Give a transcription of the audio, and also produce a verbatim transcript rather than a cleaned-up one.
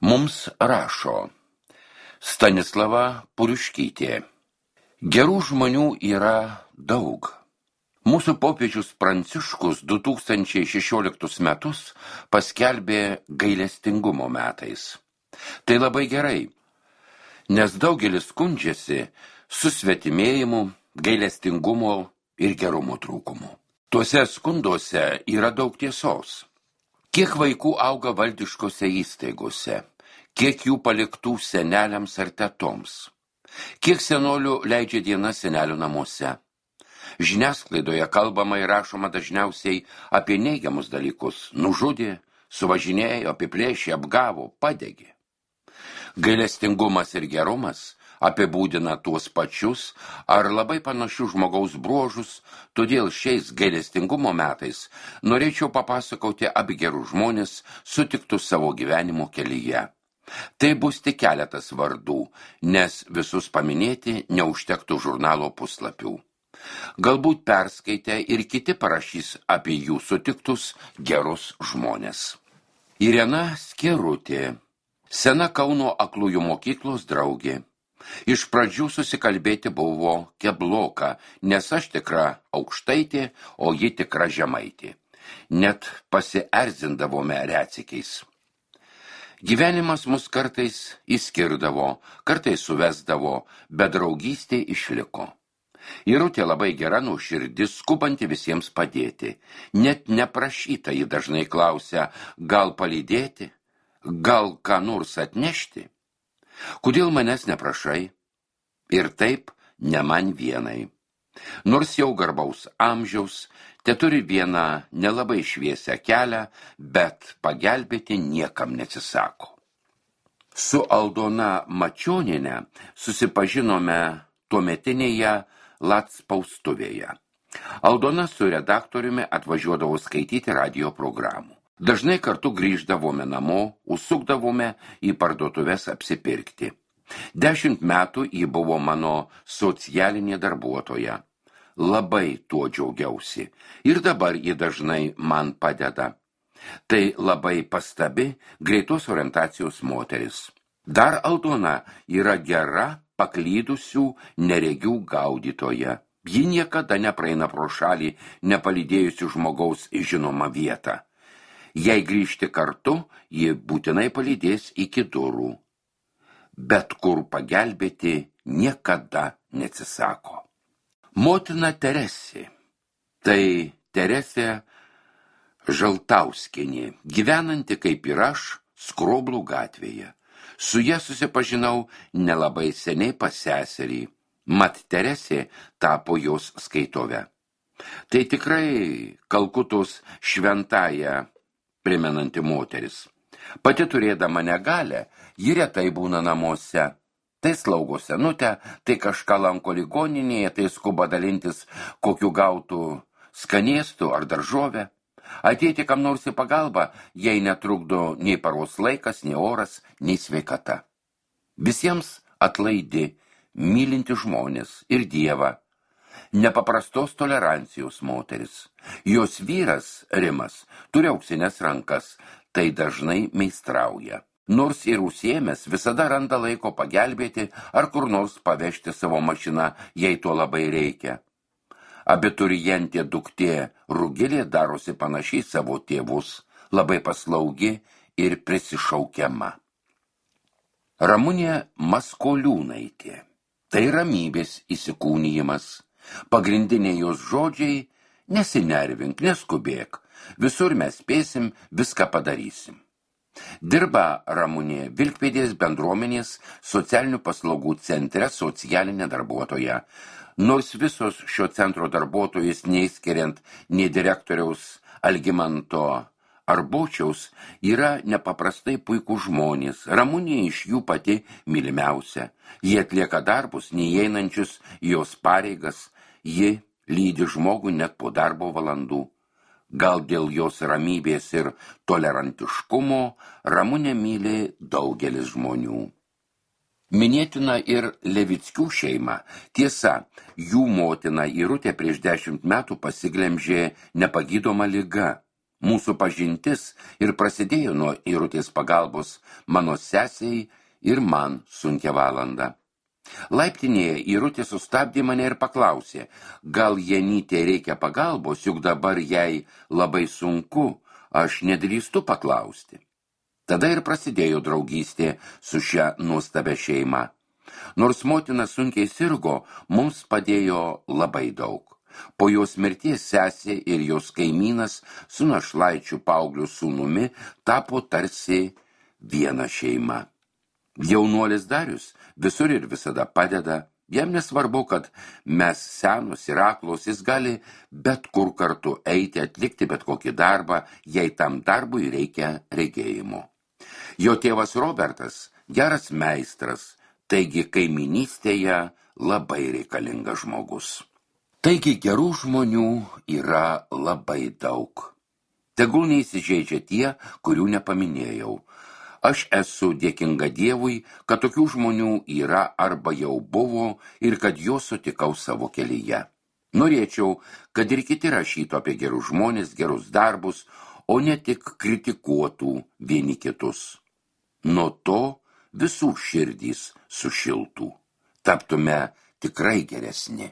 Mums rašo Stanislava Puriškytė. Gerų žmonių yra daug. Mūsų popiežius Pranciškus du tūkstančiai šešioliktus metus paskelbė gailestingumo metais. Tai labai gerai, nes daugelis skundžiasi susvetimėjimu, gailestingumo ir gerumo trūkumu. Tuose skunduose yra daug tiesos. Kiek vaikų auga valdiškose įstaigose, kiek jų paliktų seneliams ar tetoms, kiek senolių leidžia dienas senelių namuose. Žiniasklaidoje kalbama ir rašoma dažniausiai apie neigiamus dalykus – nužudė, suvažinėjo, apiplėšė, apgavo, padegė. Gailestingumas ir gerumas apibūdina tuos pačius ar labai panašius žmogaus bruožus, todėl šiais gailestingumo metais norėčiau papasakoti apie gerus žmonės sutiktus savo gyvenimo kelyje. Tai bus tik keletas vardų, nes visus paminėti neužtektų žurnalo puslapių. Galbūt perskaitę ir kiti parašys apie jų sutiktus gerus žmonės. Irena Skirutė, sena Kauno aklųjų mokyklos draugė. Iš pradžių susikalbėti buvo kebloka, nes aš tikra aukštaitė, o ji tikra žemaitė. Net pasierzindavome retsykiais. Gyvenimas mus kartais įskirdavo, kartais suvesdavo, bet draugystė išliko. Irutė labai gera nuoširdis, skubanti visiems padėti. Net neprašyta ji dažnai klausia, gal palydėti, gal ką nors atnešti. Kodėl manęs neprašai? Ir taip ne man vienai. Nors jau garbaus amžiaus, te turi vieną nelabai šviesią kelią, bet pagelbėti niekam neatsisako. Su Aldona Mačioniene susipažinome tuometinėje Lac spaustuvėje. Aldona su redaktoriumi atvažiuodavo skaityti radijo programų. Dažnai kartu grįždavome namo, užsukdavome į parduotuves apsipirkti. Dešimt metų ji buvo mano socialinė darbuotoja. Labai tuo džiaugiausi ir dabar ji dažnai man padeda. Tai labai pastabi, greitos orientacijos moteris. Dar Aldona yra gera, paklydusių neregių gaudytoja. Ji niekada nepraeina pro šalį, nepalydėjusių žmogaus į žinomą vietą. Jei grįžti kartu, ji būtinai palydės iki durų. Bet kur pagelbėti niekada neatsisako. Motina Teresė. Tai Teresė Žaltauskienė, gyvenanti kaip ir aš, Skroblų gatvėje. Su ja susipažinau nelabai seniai pas seserį, mat Teresė tapo jos skaitove. Tai tikrai Kalkutos šventąją primenanti moteris. Pati turėdama negalę, ji retai būna namuose. Tai slaugo senutę, tai kažką lanko ligoninėje, tai skuba dalintis kokiu gautų skanėstų ar daržovę. Ateiti kam nors į pagalbą, jai netrukdo nei paros laikas, nei oras, nei sveikata. Visiems atlaidi, mylinti žmonės ir Dievą. Nepaprastos tolerancijos moteris. Jos vyras, Rimas, turi auksinės rankas, tai dažnai meistrauja. Nors ir užsiėmęs visada randa laiko pagelbėti ar kur nors pavežti savo mašiną, jei to labai reikia. Abiturientė duktė Rugilė darosi panašiai savo tėvus, labai paslaugi ir prisišaukiama. Ramunė Maskoliūnaitė. Tai ramybės įsikūnijimas. Pagrindiniai jos žodžiai – nesinervink, neskubėk, visur mes spėsim, viską padarysim. Dirba Ramunė Vilkpėdės bendruomenės socialinių paslaugų centre socialinė darbuotoja. Nors visos šio centro darbuotojus, neįskiriant nei direktoriaus Algimanto Arbočiaus, yra nepaprastai puikūs žmonės. Ramunė iš jų pati mylimiausia. Jie atlieka darbus, neįeinančius jos pareigas. Ji lydi žmogų net po darbo valandų. Gal dėl jos ramybės ir tolerantiškumo Ramunę myli daugelis žmonių. Minėtina ir Levickių šeima. Tiesa, jų motina Irutė prieš dešimt metų pasiglemžė nepagydoma liga. Mūsų pažintis ir prasidėjo nuo Irutės pagalbos mano sesiai ir man sunkia valanda. Laiptinėje Irutė sustabdė mane ir paklausė, gal Janytė reikia pagalbos, juk dabar jai labai sunku, aš nedrįstu paklausti. Tada ir prasidėjo draugystė su šia nuostabia šeima. Nors motina sunkiai sirgo, mums padėjo labai daug. Po jos mirties sesė ir jos kaimynas su našlaičiu paaugliu sūnumi tapo tarsi viena šeima. Jaunuolis Darius visur ir visada padeda, jam nesvarbu, kad mes senos ir aklos, jis gali bet kur kartu eiti, atlikti bet kokį darbą, jei tam darbui reikia regėjimo. Jo tėvas Robertas geras meistras, taigi kaiminystėje labai reikalingas žmogus. Taigi gerų žmonių yra labai daug. Tegul neįsižeidžia tie, kurių nepaminėjau. Aš esu dėkinga Dievui, kad tokių žmonių yra arba jau buvo ir kad juos sutikau savo kelyje. Norėčiau, kad ir kiti rašytų apie gerus žmonės, gerus darbus, o ne tik kritikuotų vieni kitus. Nuo to visų širdys sušiltų. Taptume tikrai geresni.